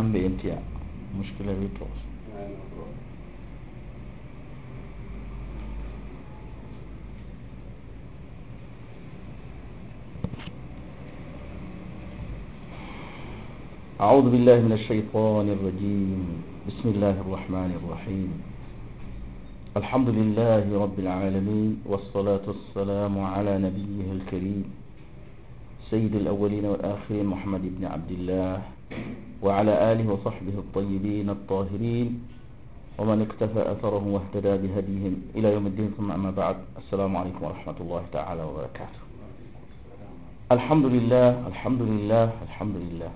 بانتيا مشكلة بيتوصل. أعوذ بالله من الشيطان الرجيم. بسم الله الرحمن الرحيم. الحمد لله رب العالمين، والصلاة والسلام على نبيه الكريم سيد الأولين والآخرين محمد بن عبد الله وعلى آله وصحبه الطيبين الطاهرين ومن اقتفى أثرهم واهتدى بهديهم إلى يوم الدين، ثم أما بعد. السلام عليكم ورحمة الله تعالى وبركاته. الحمد لله الحمد لله الحمد لله.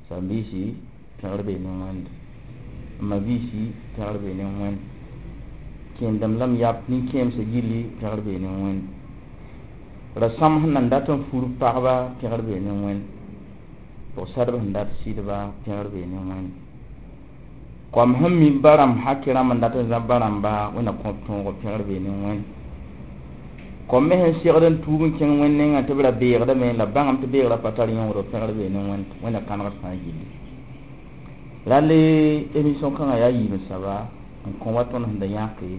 Sambisi pẽgr bee ne wẽnd, ma biisi pẽgr bee ne wẽnd, kẽendame la m yap nin-kẽemsã gilli pẽgr bee ne wẽnd, rasãmb sẽn nan dat n fur pagba pẽgr bee ne wẽnd, pʋg-sadb sẽn dat sɩdba pẽgr bee ne wẽnd, koam sẽn mi ba-rãmb hakɩ rãmb n dat n zãb ba-rãmba wẽnna kõb tõogo pẽgr bee ne wẽnd, kom me sẽn segd n tuub n kẽng wẽnd nengã tɩ b ra beegdame la bãngame tɩ beegrã pa tar yõodo pẽgr bee ne wẽnd, wẽnna kãnegd fãa gilli. Rale émission kãngã yaa yiib n saba n kõ wa tõnd sẽn da yãke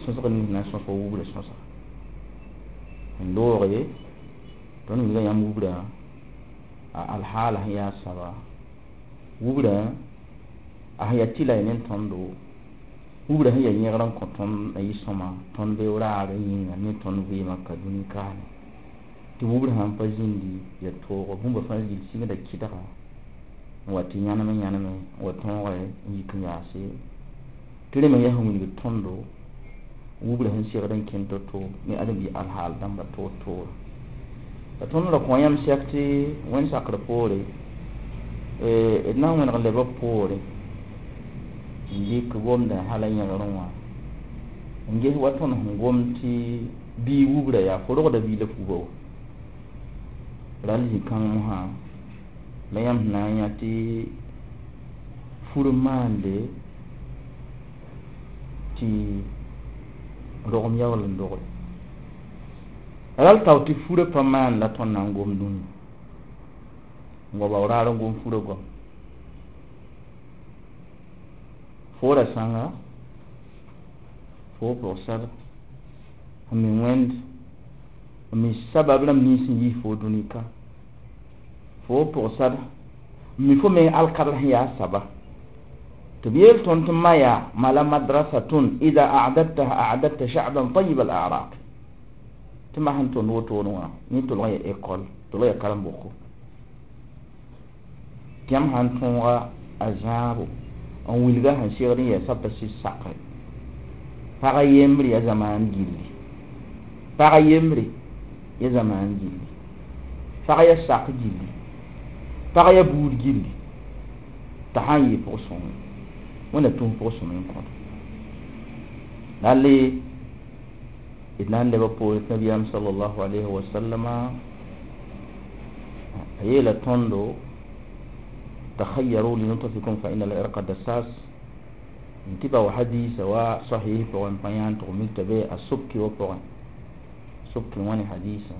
sõsg nins na n sõsg wubra sõsga n looge tõnd wilga yãmb wubra a alhaala sẽn yaa saba wubra a sẽn yaa tɩla ne tõndo wubra sẽn yaa yẽgr n kõ tõnd a yɩ sõma tõnd beoog raar yĩnga ne tõnd vɩɩmã ka dũni kaane tɩ wubr sãn pa zĩndi ya toogo bũmba fãa gill sɩngda kɩdga n wa tɩ yãnem yãneme n wa tõoge n yik n yaase tɩ rẽ me yaa sẽn wilgd tõndo wubra sẽn segd n kẽnd to-to ne ãdem-bi alhaal dãmba toor-toora. La tõnd ra kõ yãmb sɛk tɩ wẽnd sakr poore d na n wẽneg n leba poore n dɩk gomdã hala yẽgerẽ wã n ges wa tõnd sẽn gom tɩ bii wubra yaa fo rogda bii la fuba wa rall zĩ-kãng mosã la yãmb sẽn na n yã tɩ fur n maande tɩ rogem yaool n dogre ral tao tɩ furã pa maan la tõnd na n gom dũni n wa bao raar n gom furã goam foora sãnga fo pʋg-sar n mi wẽnd n mi sabab rãmb nins n yiis fo dũni ka fo pʋg-sar n mi fo meng alkadr sẽn yaa saba tɩ b yeel tõnd tɩ ma yaa ma la madrasatun ida a'dadtaha a'dadta sha'ban tayib al a'raq tɩ ma sẽn tõnd wotone wã yẽ tolg n yaa école tolg yaa karen-boko tɩ yãmb sãn tõoga a zãabo n wilga sẽn segd n yɛɛsa pa sɩd sakre pag yembre yaa zamaan gilli pag yembre yaa zamaan gilli pag yaa sak gilli pag yaa buud gilli t'a sãn yɩɩ pʋg-sõng wẽnna tũus pʋg-sõm n kõt rale d na n leba poore tɩ nabiyaam sallallahu alayhi wa sallama a yeela tõndo takhayyaru linutfikum fa inna al-irqa dassas n tɩ bao hadisa wa sahih pʋgẽ pa yãan tɩ mik t'a be a sobki wa pʋgẽ sobki wã ne hadisa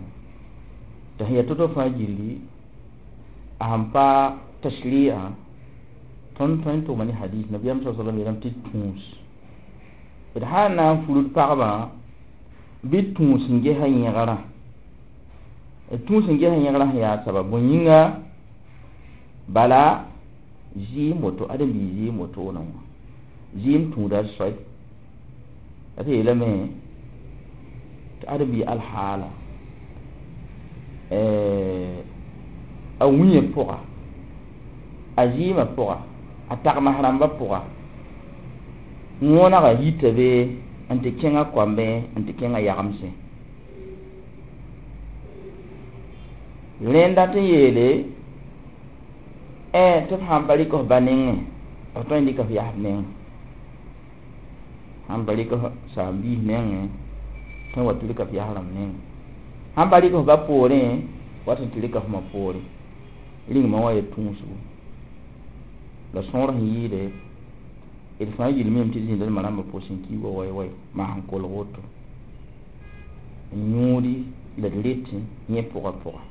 tɩ sẽn yaa to-to fãa gilli a sẽn pa tashri'a tõnd tõe n tʋgma ne hadis nabiyaam sa sallam yeelame tɩ tũus d sã n na n furd pagbã bɩ tũus n gesa yẽgrã d tũus n gesa yẽgrã sẽn yaa sabab bõe yĩnga bala zɩɩm woto ãdem-biig zɩɩm wotone wã zɩɩm tũuda soy la tɩ yeelame tɩ ãdem-biig alhaala a wĩyã pʋga a zɩɩmã pʋga a tagms rãmbã pʋga wõnega yita be n tɩ kẽngã koambẽ n tɩ kẽngã yagemsẽ rẽ n dat n yeele tɩ f sãn pa rɩk f ba nengẽ f tõe n dɩka f yasb nengẽ sãn pa rɩk f saam-biis nengẽ tõe n wa tɩ rɩka f yas rãmb nengẽ sãn pa rɩk f ba poorẽ wat n tɩ rɩka f ma poorẽ rĩngmã wã ya tũusgo la sõor sẽn yɩɩde d fãa gill mime tɩ d zĩnda d ma rãmbã pʋsẽ n kiig wa wai-wai maa sẽn kolg woto n yũudi la d retẽ yẽ pʋga pʋga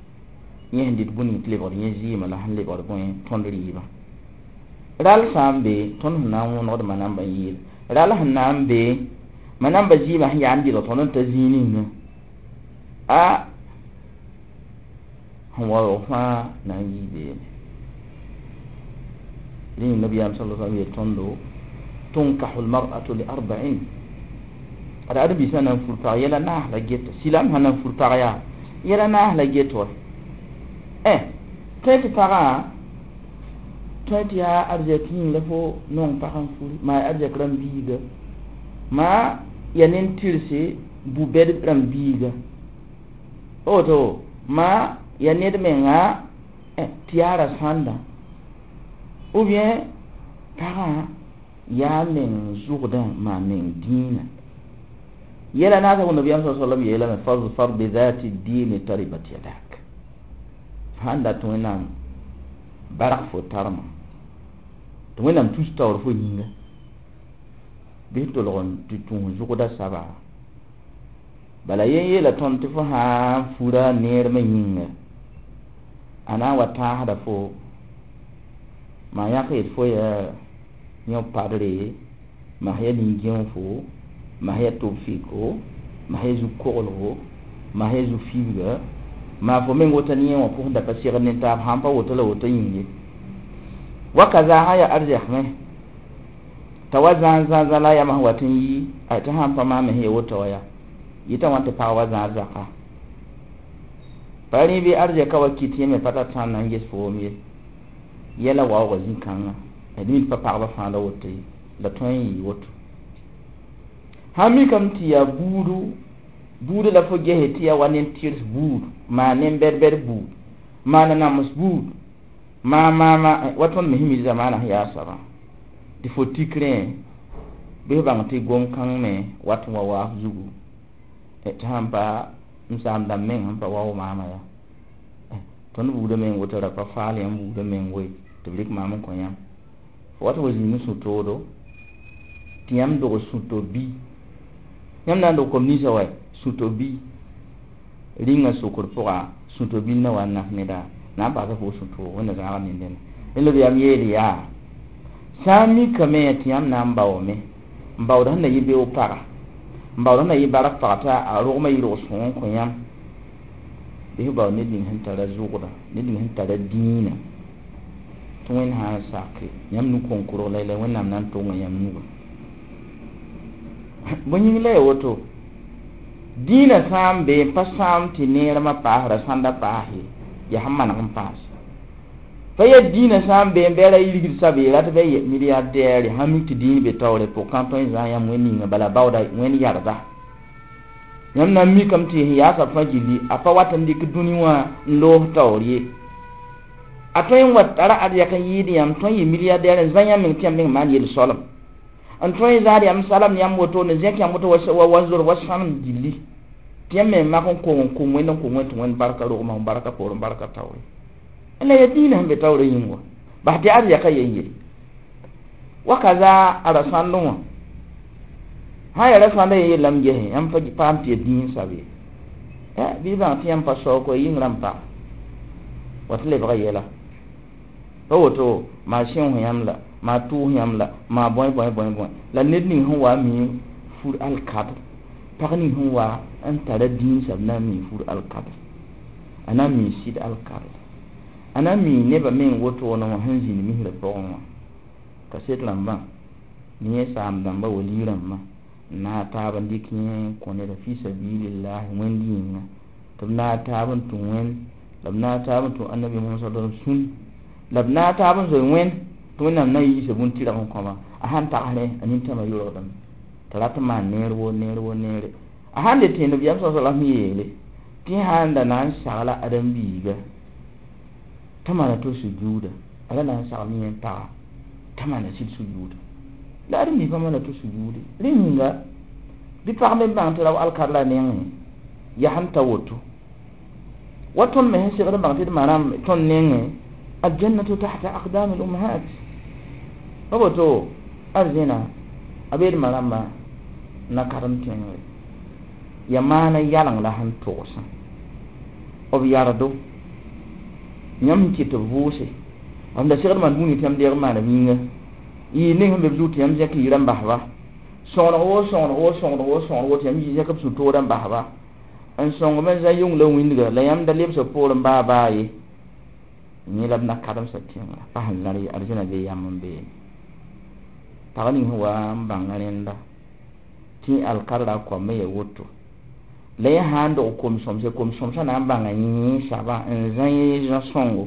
yẽ sẽn dɩt bũmb ning tɩ lebgd yẽ zɩɩmã la sẽn lebgd bõe tõnd rɩɩbã Ral sã n be tõnd sẽn na n wõnegd manamba n yeel ral sẽn na n be manamba zɩɩmã sẽn yaa n dɩlg tõnd n ta zĩig ninga a sẽn waoog fãa na n yii beene rẽ nabiyaam sala sallam yeel tõndo tunkahu lmar'atu li arba'in ad ãdem-biisã na n fur pag yɛla naas la geta silam sã na n fur pag yaa yɛla naas la get wa tõe tɩ pagã tõe tɩ yaa arzɛk yĩng la fo nong pag n furi maa arzɛk rãmb biiga maa ya nin-tɩrse bu-bɛd rãmb biiga woto maa ya ned menga tɩ yaa ra-sãnda ou bien pagã yaa meng zʋgdã maa meng dĩinã yɛla naasã nabiyaam sa sallam yeelame fazfar bi dhati dini taribat yadak sãn dat tɩ wẽnnaam barg fo tarma tɩ wẽnnaam tus taoor fo yĩnga bɩ tolg n tɩ tũus zʋgda saba bala yen yeela tõnd tɩ fo sã n fura neermã yĩnga a na n wa tãasda fo maa yãk yet fo yaa yõ padre mas ya nin-gẽofo mas ya tʋb-fɩko mas ya zu-koglgo mas ya zu-fibga maa fo meng woto ne yẽ wã pʋgẽ da pa segd ne taab sãn pa woto la woto yĩng ye wakaza sã yaa arzɛk me t'a wa zãag zãag la a yamã sẽn wat n yi tɩ sãn pa maam me sẽn ya woto wã yaa yɩta wãn tɩ pag wa zãad zaka pa rẽ bɩ arzɛka wa kɩt yẽ me pa tar tãn na n ges foom ye yɛla waoogã zĩ-kãngã d mi pa pagba fãa la woto ye la tõe n yɩ woto sãn mikame tɩ yaa buudu buudã la fo gese tɩ yaa wa nin-tɩrs buud maa nin-bɛd-bɛd buud maa nanams buud maa maama wa tõnd me sẽn mi zamaanã sẽn yaa soabã tɩ fo tik rẽ bɩ f bãng tɩ gom-kãng me wat n wa waaf zugu tɩ sãn pa m saam dãmb meng sẽn pa wao maama yaa tõnd buudã meng woto ra pa faal yãmb buudã meng woe tɩ b rɩk maam n kõ yãmb fo wat n wa zĩig n sũ-toodo tɩ yãmb dog sũ-to bi yãmb na n dog kom ninsã wa sũ-to bi rĩngã sokr pʋga sũ-to bil na wa n nas neda na n paasa fo sũ-toog wẽnna zãaga nendẽna rẽ la b yam yeel yaa sã n mikame tɩ yãmb na n baoome n baood sẽn na yɩ beoog paga n baood sẽn na yɩ bark pag t'a a rogmã yɩ rog sõng n kõ yãmb bɩ f bao ned ning sẽn tara zʋgda ned ning sẽn tara dĩinã tɩ wẽnd sã n sake yãmb nu-kõn-korg la la wẽnnaam na n tonga yãmb nugã bõe yĩng la ya woto dĩinã sã n be n pa sãam tɩ neermã paas ra-sãnda paas ye yaa sẽn maneg n paas pa yaa dĩinã sã n be n bɩ a ra yirgd sabe rat bɩ milliardaire sãn mik tɩ dĩin be taoore pʋg kãn tõe n zãag yãmb wẽnd ninga bala baooda wẽnd yarda yãmb na n mikame tɩ sẽn yaa soab fãa gilli a pa wat n dɩk dũni wã n loos taoor ye a tõe n wa tara arzɛk n yɩɩd yãmb tõe n yɩ milliardaire n zã yãmb meng tɩ yãmb meng maan yel-soalem n tõe n zaad yãmb salam yãmb woto n zẽk yãmb woto wa zor wa sãnem gilli tɩ yãmb me mak n kong n kʋm wẽnd n kʋm wẽnd tɩ wẽnd barka rogma barka poorẽ barka taoore la ya dĩinã sẽn be taoorã yĩng wã bas tɩ arzɛka yen ye wakaza a ra-sãndẽ wã sã n yaa ra-sãndã yen yellame gese yãmb pa paam tɩ ya dĩin sab ye bɩ bãng tɩ yãmb pa saoog yĩng rãmb pa wa tɩ lebga yɛla pa woto maa sẽos yãmb la maa tʋʋs yãmb la maa bõe bõe bõe bõe la ned ning sẽn wa mi fur alkadr pag ning sẽn wa n tara dĩin sab na n mi fur alkadr a na n mi sɩd alkadr a na n mi nebã meng wotone wã sẽn zĩnd misrã pʋgẽ wã kaset rãmbã ne yẽ saam dãmba wali rãmbã n naag taab n dɩk yẽ n kõ neda fi sabilillahi wẽnd yĩnga tɩ b naag taab n tũ wẽnd la b naag taab n tũ annabi Muhammad sallallahu alaihi wasallam sũn la b naag taab n zoe wẽnd tɩ wẽnnaam na n yiisa bũn-tɩrg n kõba a sãn tagsrẽ a nintãmã yʋlgdame tɩ rat n maan neer wo neer wo neere a sãn le tẽend b yam sa sallam yeele tɩ sãn da na n sagla ãdem-biiga t'a maana to sujuuda a ra na n sagl yẽ paga t'a maana sɩd sujuuda la ãdem-biig pa maana to sujuude rẽ yĩnga bɩ pag me bãng tɩ rao alkar la nengẽ yaa sẽn ta woto wa tõnd me sẽn segd n bãng tɩ d ma rãmb tõnd nengẽ aljannatu tahta aqdam al ummahat pa woto arzẽna a beed ma rãmbã na karem tẽngre ya maana yaleng la sẽn togsã b yardo yãmb sẽn kɩt tɩ b vʋʋse Mam da segd maan bũni tɩ yãmb deeg n maana yĩnga yɩ ning sẽn be b zug tɩ yãmb zẽk yɩɩrã n basba sõgeneg woo sõgeneg woo sõgeneg woo sõgeneg woo tɩ yãmb zẽk b sũ-toorã n basba n sõng b n zã yʋng la wĩndga la yãmb da lebs b poorẽ baa baa ye yẽ la b na kademsã tẽngrã pa sẽn zãr ye arzẽna bee yam n beene pag ning sẽn wa n bãnga rẽnda tɩ alkadra a koamã ya woto la yẽ sã n dog kom-sõmse kom-sõmsã na n bãnga yẽ soabã n zã yẽ zã-sõngo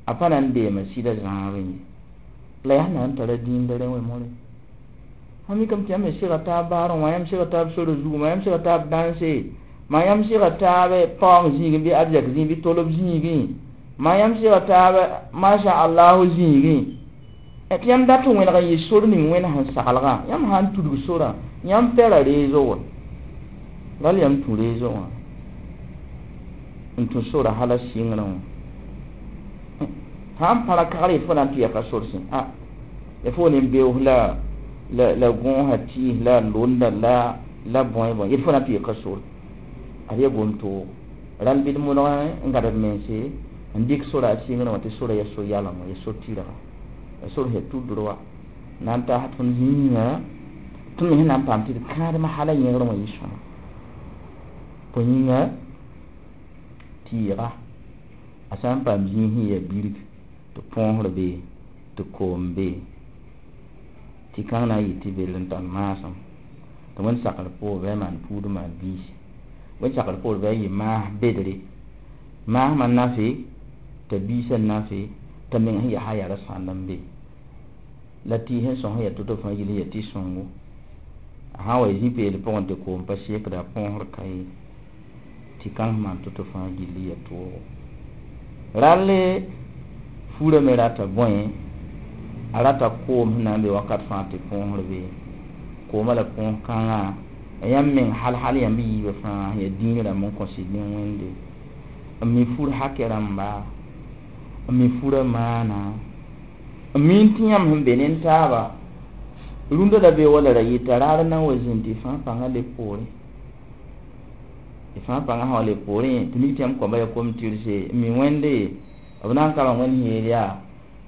a pa na n deema sɩda zãabẽ ye la yaa na n tara dĩinda rẽ wẽ more sã mikame tɩ yãmb me sega taab baarẽ wã yãmb sega taab sora zugu ma yãmb sega taab dãnse ma yãmb sega taab paoong zĩigẽ bɩ arzɛk zĩig bɩ tolb zĩigẽ ma yãmb sega taab masha allahu zĩigẽ tɩ yãmb dat n wẽneg n yɩ sor ning wẽnd sẽn saglgã yãmb sã n tudg sorã yãmb pɛra reezo wã ral yãmb tũ reezo wã n tũ sora hala sɩngrẽ wã sã n pa ra kagr yetɩ fo na n tɩ yaka sor sẽ a ya fo ne beoos la la gõosã tɩɩs la londa la la bõe bõe yetɩ fo na n tɩ yaka sor ad ya gom-toog rãll bɩ d modg n gãd d mense n dɩk sora a sɩngrẽ wã tɩ sora yaa so-yaleng wã ya so-tɩrga ya sor sẽn tudr wa na n taas tõnd zĩigã tõnd me sẽn na n paam tɩ d kãadem hala yẽgrẽ wã yɩ sõma bõe yĩnga tɩɩga a sã n paam zĩig sẽn yaa birg tɩ põosr be tɩ koom be tɩ kãng na n yɩ tɩ bell n tar maasem tɩ wẽnd sakr poor bɩ a maan puud n maan biisi wẽnd sakr poor bɩ a yɩ maas bedre maasmã nafe t'a biisã nafe t'a meng sẽn yaa yaa ra-sãnd n be la tɩɩs sẽn sõs sẽn yaa to-to fãa gill yaa tɩ-sõngo a sã n wa zĩ peel pʋgẽ tɩ koom pa sekda a põosr ka ye tɩ kãng sẽn maan to-to fãa gill yaa toogo ralle furã me rata bõe a rata koom sẽn na n be wakat fãa tɩ põosr be koomã la põos kãngã yãmb meng hal hal yãmb yiibã fãa yaa dĩin rãmb n kõ sɩd ne wẽnde n mi fur hakɛ rãmba n mi furã maana n miin tɩ yãmb sẽn be ne taaba rũndã la be wala ra yɩta raar n na n wa zĩnd tɩ fãa pãngã leb poorẽ tɩ fãa pãngã sã wa leb poorẽ tɩ mik tɩ yãmb koamba yaa kom-tɩrse n mi wẽnde b na n ka wẽnd yeel yaa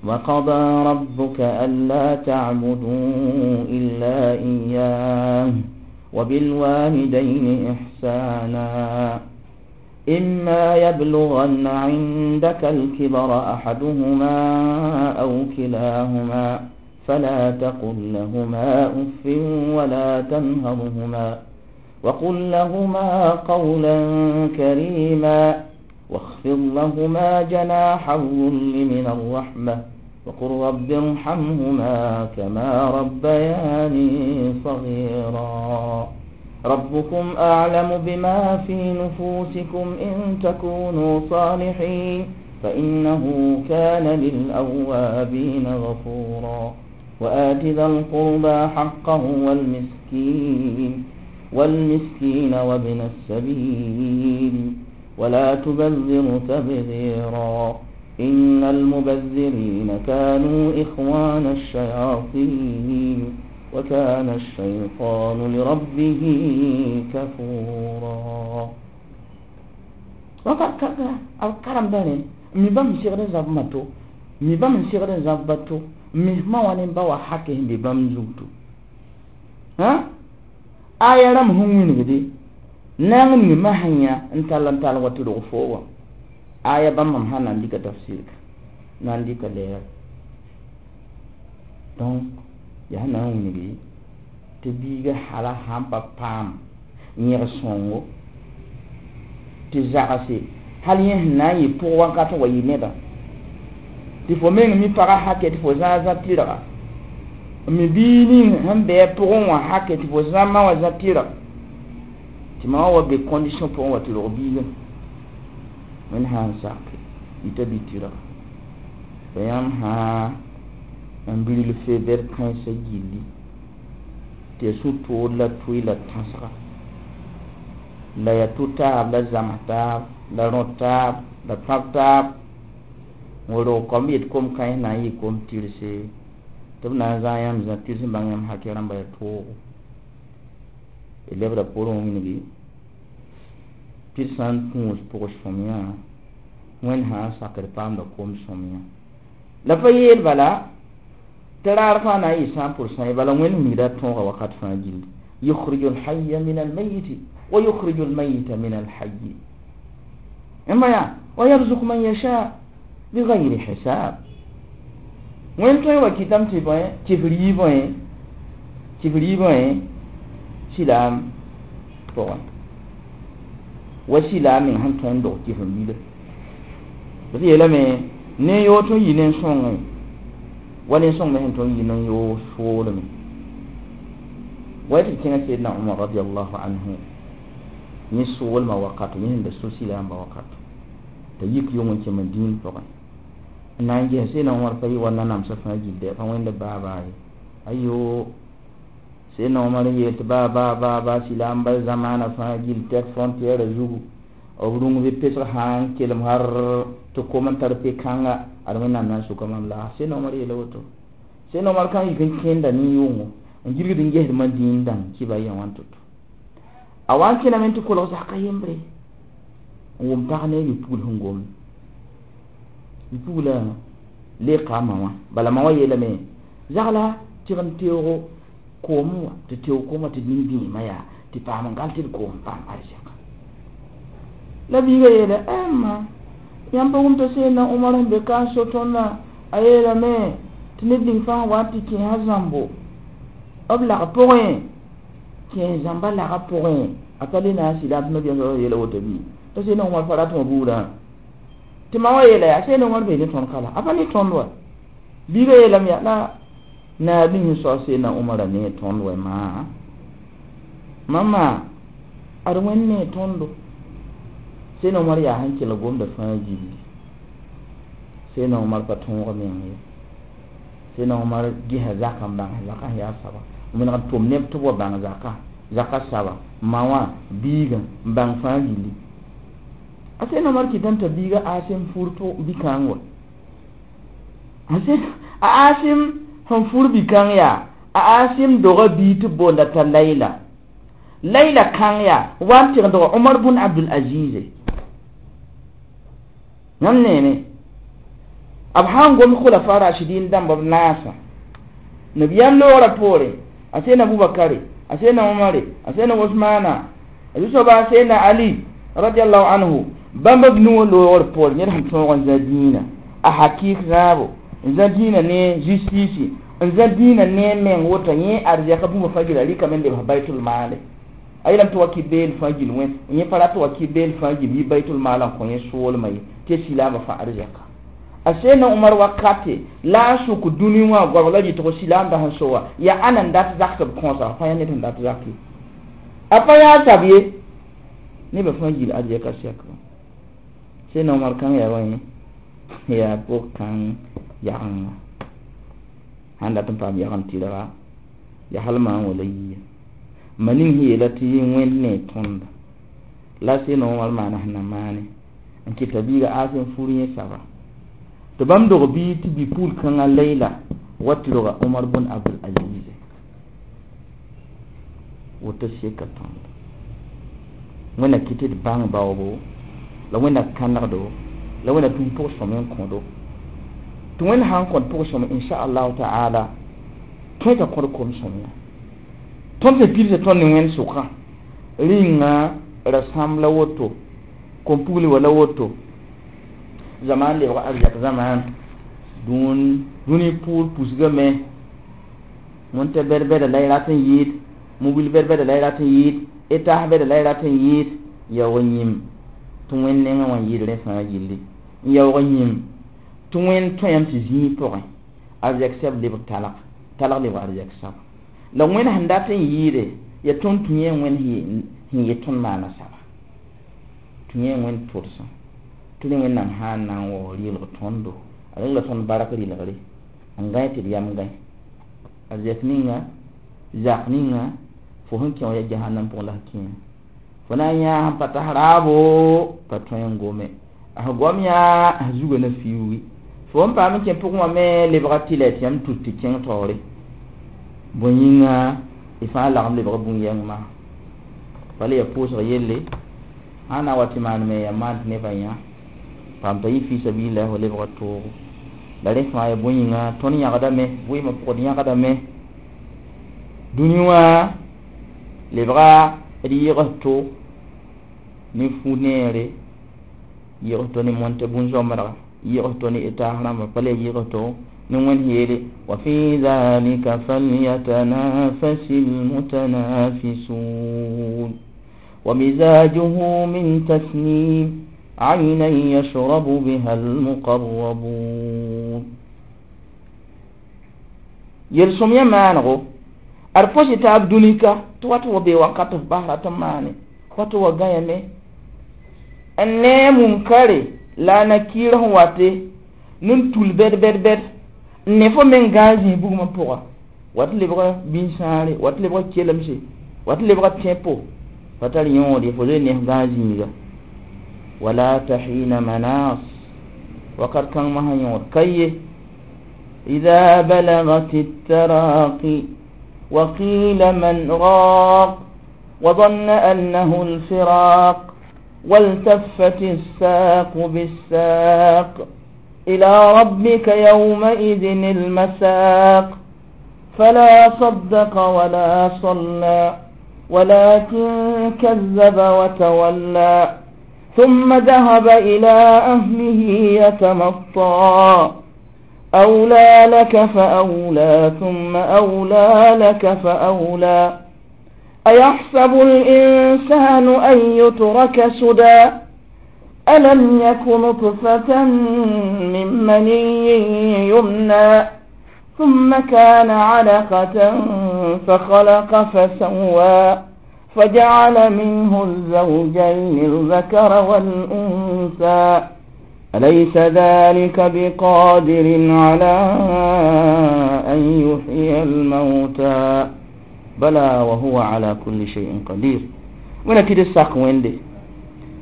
وقضى ربك ألا تعبدوا إلا إياه وبالوالدين إحسانا إما يبلغن عندك الكبر أحدهما أو كلاهما فلا تقل لهما أف ولا تنهرهما وقل لهما قولا كريما واخفض لهما جناح الذل من الرحمة وقل رب ارحمهما كما ربياني صغيرا ربكم أعلم بما في نفوسكم إن تكونوا صالحين فإنه كان للأوابين غفورا وآت ذا القربى حقه والمسكين وابن السبيل ولا تبذر تبذيرا إن المبذرين كانوا إخوان الشياطين وكان الشيطان لربه كفورا وكذا الكرم داني mi bãmb segd n zãb ma to mi bãmb n segd n zãb ba to mi ma wa ne ba wa hake sẽn be bãmb zugto aya rãmb sẽn wĩnigde naang ning masã yã n tall n tall wa tɩ rog fo wã aya bãmb mam sã na n dɩka tafsir na n dɩka lɛɛr donc yaa sẽn na n wĩnigi tɩ biiga hala sãn pa paam yẽg sõngo tɩ zagse hal yẽ sẽn na n yɩ pʋg wakat n wa yɩ nedã tɩ fo meng mi pagã hakɛ tɩ fo zã zã tɩrga n mi biig ning sẽn bɩ a pʋgẽ wã hakɛ tɩ fo zã ma wã zã tɩrg tɩ ma wã wa be condition pʋgẽ wa tɩ rog biigã wẽnd sã n sake yita bɩ tɩrga pa yãmb sã n biril fe bɛd kãensã gilli tɩ ya sũ-tood la tʋɩ la tãsga la ya tʋ-taab la zams taab la rõ taab la pãb taab n wa rog kom yet kom-kãens na n yɩ kom-tɩrse tɩ b na n zã yãmb zã tɩrs n bãng yãmb hakɛ rãmba yaa toogo d lebda poorẽ wã wĩnigi tɩ d sã n tũus pʋgs sõmyã wẽnd sã n sakd paamda kom-sõmyã La pa yeel bala tɩ raar fãa na n yɩ 100% ye, bala Wẽnd miida tõoga wakat fãa gilli. Yukhriju lhaya min almayiti wa yukhriju almayita min alhayi. Yãmba yaa wa yarzuku man yasha bighayri hisab. Wẽnd tõe n wa kɩtame tɩ bõe kɩf riibẽ, kɩf riibẽ silaam pʋgẽ wa silaam meng sẽn tõe n dog kɩf n bila. B yeelame ne yoog tõe n yi nen-sõngẽ wa nen-sõng me sẽn tõe n yi nen-yoog soolme. Wa tɩ d kẽngã Seedna Umar radiallahu anhu yẽ soolmã wakato, yẽ sẽn da so silaambã wakato t'a yik yong n kẽ Madĩin pʋgẽ n na n ges. Seedna Umar pa yɩ wa nanamsã fãa gilde, pa wẽnda baa baa ye. Ayo, Seedna Umar n yeel tɩ baa baa baa baa silaambã zamaana fãa gill tɛk frontiɛɛrã zugu, b rũng bɩ pesg sã n kelem har tɩ kom n tar pe-kãnga ad Wẽnnaam na n sʋka mam laag. Seedna Umar yeela woto. Seedna Umar kãng yik n kẽenda nin-yʋngo n gilgd n gesd Madĩin dãmb kɩba yã wã n to-to. A wa n kẽname tɩ kolg zaka yembre n wʋm pag ne bipugl sẽn gomd. Bipugla leeka a ma wã, bala ma wã yeelame zagla tɩg n teoogo koom wã, tɩ teoog koom wã tɩ d nin-bĩimã yaa tɩ paam n gal tɩ d koom paam arzɛka. La biigã yeela ma yãmb pa wʋm t'a Seedna Umar sẽn be ka n so tõndã, a yeelame tɩ ned ning fãa wa tɩ kẽesa zãmbo b lag pʋgẽ, kẽes zãmba lagã pʋgẽ a pa le na n sɩdam tɩ nabiyaam sa yeela woto bɩ t'a Seedna Umar pa rat wã buudã tɩ ma wã yeela yaa Seedna Umar bee ne tõnd ka la a pa ne tõnd wa. Biigã yeelame yaa la naab ning sẽn sao Seedna Umara ne tõnd wɛ maa mama ad Wẽnd ne tõndo. Seedna Umar yaa sẽn kelg gomda fãa gilli. Seedna Umar pa tõog meng ye. Seedna Umar gesa zakã n bãng zakã sẽn yaa saba, n meneg n tʋm neb tɩ b wa bãng zakã, zakã saba ma wã biigã n bãng fãa gilli. A Seedna Umar kɩtame t'a biigã Asim fur bi-kãng wa. A Asim sẽn fur bi-kãng yaa a Asim doga bii tɩ b boonda t'a Layla. Layla kãng yaa wa n tɩg n doga Umar bun Abdul Azize. Yãmb neeme b sã n gomd khulafa rashidin dãmba b naasã nabiyaam loogrã poore, a Seedna Abubakare, a Seedna Umare, a Seedna Usmana, a zu-soaba a Seedna Ali radiallahu anhu, bãmb b nuwã loogr poore ned sẽn tõog n zã dĩinã a hakɩɩk zãabo, n zã dĩinã ne justice, n zã dĩinã ne meng woto yẽ arzɛka bũmba fãa gil a rɩkame n lebs baitul maale. A yeelame tɩ wa kɩ beel fãa gil wẽ, yẽ pa rat wa kɩ beel fãa gil yi baitul maal n kõ yẽ soolmã ye tɩ silaambã fãa arzɛka. A Seedna Umar wakate la a sʋk dũni wã goabg la rɩtgo silaambã sẽn so wã yaa ãnna n dat zak tɩ b kõosa, pa yaa ned sẽn dat zak ye, a pa yaa sab ye, nebã fãa gil arzɛka sɛkba. Seedna Umar kãng yaa bõe yaa pʋg-kãng yagenga sãn dat n paam yagem tɩrga yaa hal maan wala yiya ma ning sẽn yeela tɩ Wẽnd ne tõnda la Seedna Umar maana sẽn na maane n kɩta biiga Asim fur yẽ saba tɩ bãmb dog bii tɩ bi-pugl kãngã Layla wa tɩ roga Umar bun Abdul Aziz woto seka tõndo. Wẽnna kɩ tɩ d bãng baoobo la Wẽnna kãnegdo la Wẽnna tũu pʋg-sõm n kõdo tɩ Wẽnd sã n kõt pʋg-sõm inshaallahu ta'ala tõe t'a kõd kom-sõm ya. Tõnd sẽn pids tõnd ne Wẽnd sʋkã rĩnga rasãmb la woto, kom-pugli wa la woto, zamaan lebg arzɛk zamaan dũni pʋʋr pusgame, wẽn t'a bɛd-bɛda la y rat n yɩɩd, mobil bɛd-bɛda la y rat n yɩɩd, etas bɛda la y rat n yɩɩd, yaoog yĩm tɩ Wẽnd nengã wã n yɩɩd rẽ fãa gilli, n yaoog yĩm tɩ Wẽnd tõe yam tɩ zĩig pʋgẽ arzɛk sɛb lebg talg, talg lebg arzɛk saba la Wẽnd sẽn dat n yɩɩde yaa tõnd tũ yẽ Wẽnd sẽn yet tõnd maana saba, tũ yẽ Wẽnd tʋdsã tɩ rẽ Wẽnnaam sã n na n wao rɩlg tõndo, a rẽng la tõnd bark rɩlgre n gãe tɩ d yam gãe arzɛk ninga zak ninga fo sẽn kẽ wã yaa jahannam pʋgẽ la f kẽe fo na n yãa sẽn pa tas raabo pa tõe n gome, a sẽn gom yãa a zugã na fiuugi fo n paam n kẽ pʋgẽ wã me lebga tɩlɛ tɩ yãmb tut tɩ kẽng taoore bõe yĩnga y fãa lagem lebg bũn-yɛng maa bala yaa pʋʋsg yelle sã n na n wa tɩ maan me yaa maan tɩ nebã yã paam t'a yɩ fi sabilillah wa lebga toogo. La rẽ fãa ya bõe yĩnga tõnd yãgdame vɩɩmã pʋgd yãgdame dũni wã lebga d yɩgs to ne fu-neere yɩgs to ne mõnt bũn-zoamdga yɩgs to ne taas rãmba pa le yɩgs to ne wẽnd yeele wa fi dhalika falyatanafasi lmutanafisun wa mizajuhu min tasnim عينا يشرب بها المقربون yel-sõm yã maanego ad pɔsɩ taab dũnika tɩ wat wa bee wakat f bas rat n maane wat wa gãyame n nee munkare la a nakɩɩr sẽn wate nin tul bɛd bɛd bɛd n ne fo meng gãag zĩis bugmã pʋga wat lebga bĩn-sãare wat lebga kelemse wat lebga tẽpo pa tar yõod ye fo zoe ne f gãag zĩiga wala tahina manas wakat kãng masã yõod ka ye إذا بلغت التراقي وقيل من راق وظن أنه الفراق والتفت الساق بالساق إلى ربك يومئذ المساق فلا صدق ولا صلى ولكن كذب وتولى ثم ذهب إلى أهله يتمطى أولى لك فأولى ثم أولى لك فأولى أيحسب الإنسان أن يترك سدى ألم يك نطفة من مني يمنى ثم كان علقة فخلق فسوى فجعل منه الزوجين الذكر والأنثى أليس ذلك بقادر على أن يحيي الموتى بلى وهو على كل شيء قدير wẽna tɩ d sak wẽnde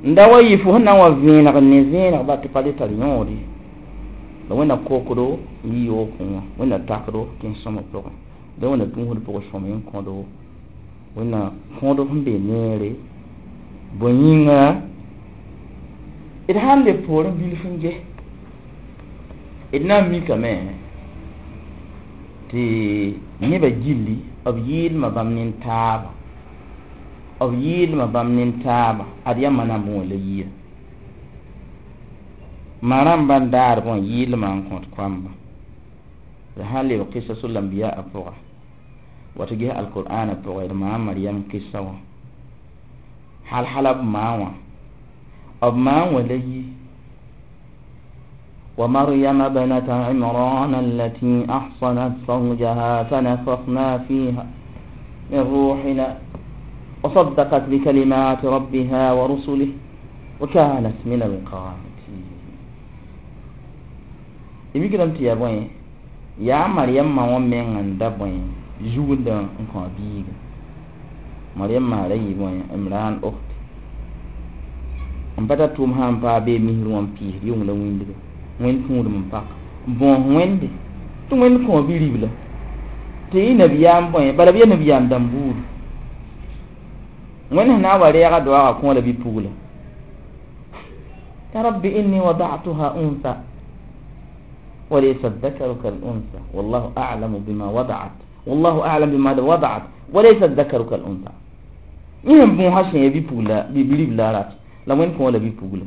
n da wa yɩ fo sẽn na n wa vẽeneg n ne vẽeneg ba tɩ pa le tar yõod ye la wẽnna kokdo n yi yookẽ wã wẽnna takdo kẽes-sõma pʋgẽ la wẽnna tũusd pʋgẽ sõm n kõdo wẽnna kõdo sẽn be neere bõe yĩnga d sãn le poorẽ bilf n ges d na n mikame tɩ nebã gilli b yɩɩlmã bãmb nin-taaba b yɩɩlmã bãmb nin-taaba ad yaa manam wã la yia ma rãmbã n daadb wã yɩɩlmã n kõt koamba la sãn leb kɩsa lambiya a pʋga wa tɩ ges alqur'ana pʋgẽ d maa Mariam kɩsa wã hal hala b maa wã b maa wã la yi ومريم ابنة عمران التي أحصنت فرجها فنفخنا فيها من روحنا وصدقت بكلمات ربها ورسله وكانت من القانتين imikram tɩ yaa bõe yaa Mariam ma wã meng n da bõe zugndã n kõ a biiga Mariam ma ra yɩ bõe Imran ukhti n pa tar tʋʋm sã n paa bee misr wã n piisd yʋng la wĩndga wẽnd tũudem n pak n bõos wẽnde tɩ wẽnd kõ bi-ribla tɩ yɩ nabiyaam bõe bala b yaa nabiyaam dãmb buudu wẽnd sẽn na n wa reega doaagã kõ la bi-pugla ya rabbi inni wada'tuha unsa وليس الذكر كالأنثى والله أعلم بما وضعت والله أعلم بما وضعت وليس الذكر كالأنثى yẽ bõosa sẽn ya bi-pugla bi-ribla rat la wẽnd kõ la bi-pugla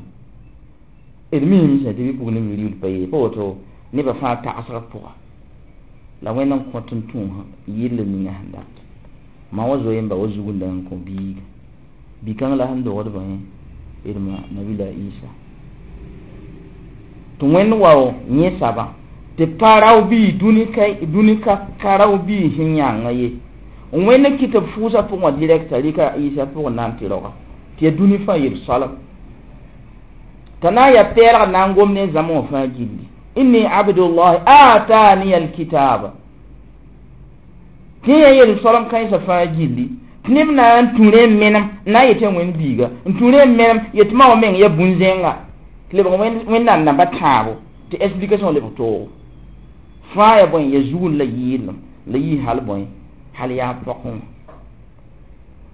d miime sã tɩ bi-pugl ne bi-ribl pa yee pa woto nebã fãa tagsg pʋga la wẽnd n kõt n tũusã yɩll ninga sẽn dat ma wa zoe n ba wa zugunda n kõ biiga bi-kãng la sẽn dogd bõe d ma nabila Isa tɩ wẽnd wao yẽ sabã tɩ pa rao bii dũni ka ka rao bii sẽn yãnga ye wẽnd n kɩt b fʋʋsã pʋgẽ wã direct a rɩka Isa pʋgẽ na n tɩ raoga tɩ yaa dũni fãa yel soalem t'a na n yaa pɛɛlg na n gom ne zãma wã fãa gilli inni abdullahi ataniya alkitaba tɩ yã yel soalem kãensã fãa gilli tɩ neb na n tũ rẽ n menem n na n yetɩ wẽnd biiga n tũ rẽ n menem yetɩ ma wã meng yaa bũn-zẽnga tɩ lebg wẽnnaam namba tãabo tɩ explication lebg toogo fãa yaa bõe ya zugend la yɩɩlem la yɩ hal bõe hal yaa pɔkẽ wã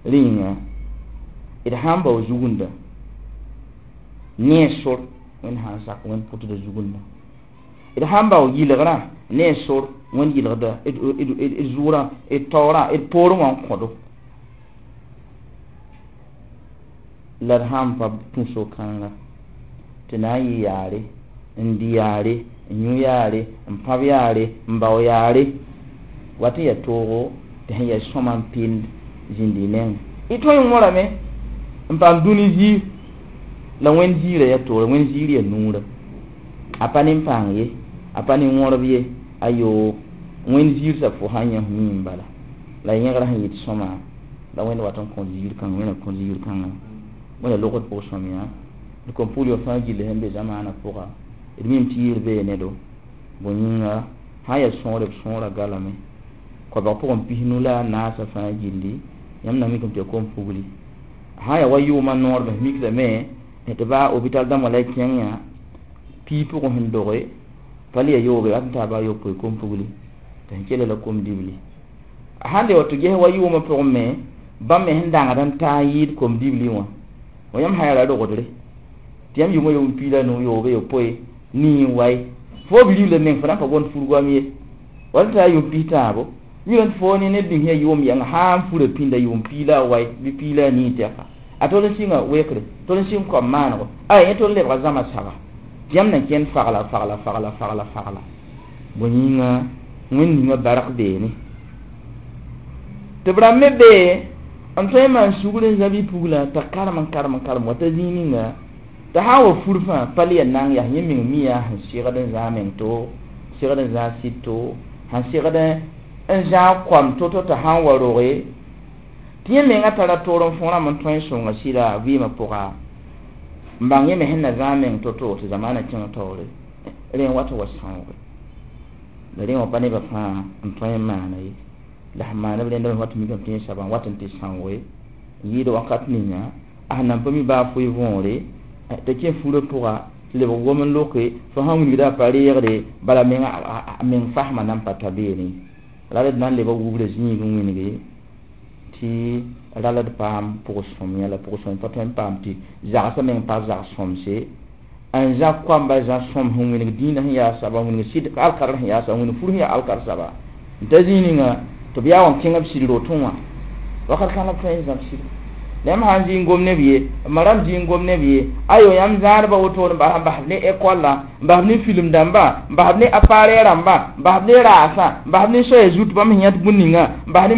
rẽ yĩnga d sãn bao zugunda ne sor wẽnd sã n sak wẽnd pʋtda zugunda D sãn bao yɩlgrã ne a sor wẽnd yɩlgda d zʋʋrã d taoorã d poorẽ wã n kõdo la d sãn pa tũ so-kãnga tɩ na n yɩ yaare n dɩ yaare n yũ yaare n pãb yaare n bao yaare wat n yaa toogo tɩ sẽn yaa sõma n pɩnd zĩnd y nengẽ y tõe n wõrame n paam dũni ziir la wẽnd ziirã yaa toore wẽnd ziir yaa nuurã a pa nin-pãng ye a pa nin-wõrb ye ayo wẽnd ziir soab fo sã n yã f mi n bala la yẽgrã sẽn yɩt sõma la wẽnd wat n kõ ziir kãnga wẽnd kõ ziir kãnga wẽnda logd pʋg sõmyã d kom pʋgl wã fãa gilli sẽn be zamaanã pʋga d mim tɩ yɩɩr bee nedo bõe yĩnga sã n yaa sõore b sõora galame koabg pʋgẽ pisnu la a naasã fãa gilli yãmb na mikame tɩ yaa kom-pugli sã n yaa wa yʋʋmã noor me mikdame tɩ baa hôpital dãmbã la y kẽng yã pii pʋgẽ sẽn doge pa le ya yooge wat n taa baa yopoe kom-pugli tɩ sẽn kela la kom-dibli sãn le wa tɩ ges wa yʋʋmã pʋgẽ me bãmb me sẽn dãngd n taa n yɩɩd kom-dibli wã wa yãmb sã n yaa ra rogdre tɩ yãmb yʋʋmã yʋʋm piig la a nu yoobe yopoe nii n waye fo bi-ribla meng fo na n pa gomd fur-goam ye wala t'a yʋʋm pis tãabo yʋ fo ne neb ning sẽn yaa yʋʋm yãnga sã n fura pĩnda yʋʋm piig la a waye bɩ piig la a nii tɛka a tol n sɩnga wekre tol n sɩng koam maanego ay yẽ tol n lebga zãma saba tɩ yãmb na kẽnd fagla fagla fagla fagla fagla bõe yĩnga wẽnd ninga bark beene tɩ b rãmb me bee n tõe n maan sugr n zã bi-puglã t'a karem n karem n karem wa ta zĩig ninga t'a sã n wa fur fãa pa le yaa nang yaa yẽ meng mi yaa sẽn segd n zãag meng to segd n zãag sɩd to sẽn segd n zãag koam to-to t'a sã n wa roge tɩ yẽ menga tara toor n fõ rãmb n tõe n sõnga sɩda vɩɩmã pʋga n bãng yẽ me sẽn na zãag meng to-to tɩ zamaanã kẽng taoore rẽ n wat n wa sãooge la rẽ wã pa nebã fãa n tõe n maana ye la sẽn maana b rẽndame wat n mikame tɩ yẽ soaba n wat n tɩ sãooge n yɩɩd wakat ninga a sẽn nan pa mi baa foe võore t'a kẽ furã pʋga tɩ lebg gom n loke fo sãn wilgda a pa reegde bala menga a meng fasmã nan pa ta beene la d na n leba wubra zĩig n wĩnge tɩ rala d paam pʋg-sõmyã la pʋg-sõm pa tõe n paam tɩ zagsã meng pa zag-sõmse n zã koamba zã sõm sẽn wĩng dĩinã sẽn yaa saba n wĩng sɩd alkar sẽn yaa saba n wĩng fur sẽn yaa alkar saba n ta zĩig ninga tɩ b yaa wa n kẽng b sɩd rotẽ wã wakat kãng la b tõe n zãb sɩd la yãmb sã n zĩ n gom neb ye ma rãmb zĩ n gom neb ye ayo yãmb zãadbã wotone n bas n basb ne école n basb ne film dãmba n basb ne appareil rãmba n basb ne raasã n basb ne soaya zut bãmb sẽn yãt bũn ninga n bas ne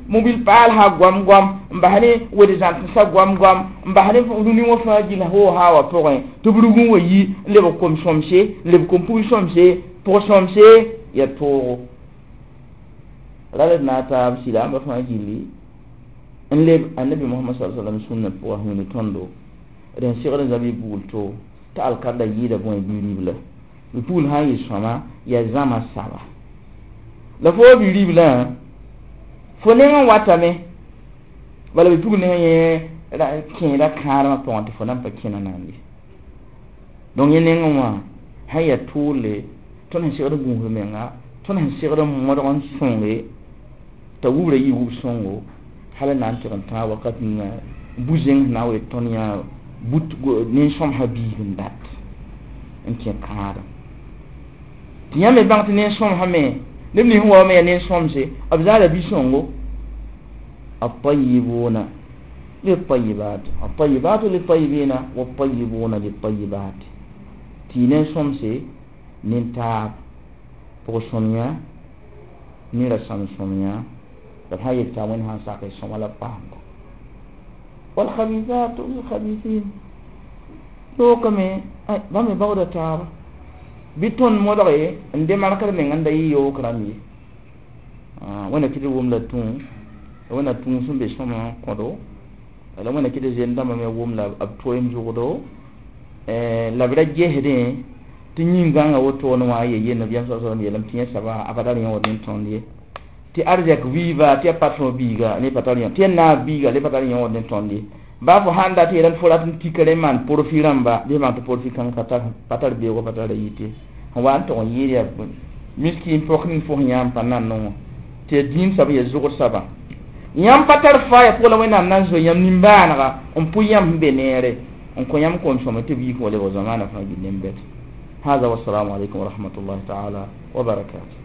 mobil paal sã goam goam n bas ne wed-zãtensã goam goam n bas ne rũni wã fãa gill hoo-haa wã pʋgẽ tɩ b rug n wa yi n lebg kom-sõmse n lebg kom-pugl sõmse pʋg-sõmse yaa toogo ra d na n taab sɩda ãmba fãa gilli n leb annabi Muhammad sallallahu alaihi wasallam sũnna pʋga sẽn tõndo d sẽn segd n zã bi-bugl to t'a alkarda yɩɩda bõe bi-ribla bi-pugl sã n yɩ sõma yaa zãma saba la fo bi-riblã fo neng n watame bala bi-pugl neng yẽ kẽeda kãadmã pʋgẽ tɩ fo nan pa kẽna naam ye donc yẽ nengẽ wã sã n yaa tʋʋle tõnd sẽn segd n gũusd menga tõnd sẽn segd n modg n sõnge t'a wubra yɩ wub sõngo hal n na n tɩg n tãag wakat ninga bu-zẽng sẽn na n wee tõnd yã but nen-sõmsã biig n dat n kẽ kãadem tɩ yãmb me bãng tɩ nen-sõmsã me neb nins sẽn wa me yaa nen-sõmse b zaala bi-sõngo الطيبون للطيبات الطيبات للطيبين والطيبون للطيبات tɩ nen-sõmse nin-taab pʋg-sõmyã ne rasam sõmyã la b sã n yel t'a wẽnd sã n sak sõma la b paamda والخبيثات للخبيثين lookame bãmb me baooda taaba bɩ tõnd modge n de markd meng n da yɩ yook rãmb ye wẽnna kɩ tɩ wʋm la tũ wẽnna tũ sẽn be sõma n kõdo la wẽnna kɩ tɩ zen dãmbã me wʋm la b toeem zʋgdo la b ra gesdẽ tɩ yĩn-gãngã wotone wã a ye nabiyaam sa sallam yeelame tɩ yẽ soaba a pa tar yõod ne tõnd ye tɩ arzɛk wiiba tɩ yaa patron biiga ne pa tar yõ tɩ yaa naab biiga le pa tar yõod ne tõnd ye baa fo sãn dat yeelame fo rat n tika rẽ maan porfi rãmba bɩ bãng tɩ porfi kãng pa tar beoogã pa tara yite sẽn wa n tog n yɩɩd yaa miskin pok ning fo sẽn yãam pa nan wã tɩ yaa dĩin soab yaa zʋgd soaba yãmb pa tar faaya pʋgã la wẽnnaam na n zoe yãmb nimbãanega n pʋ yãmb sẽn be neere n kõ yãmb kom-sõma tɩ b yik wa lebg zamaanã fãa gil nembɛd هذا، والسلام عليكم ورحمة الله تعالى وبركاته.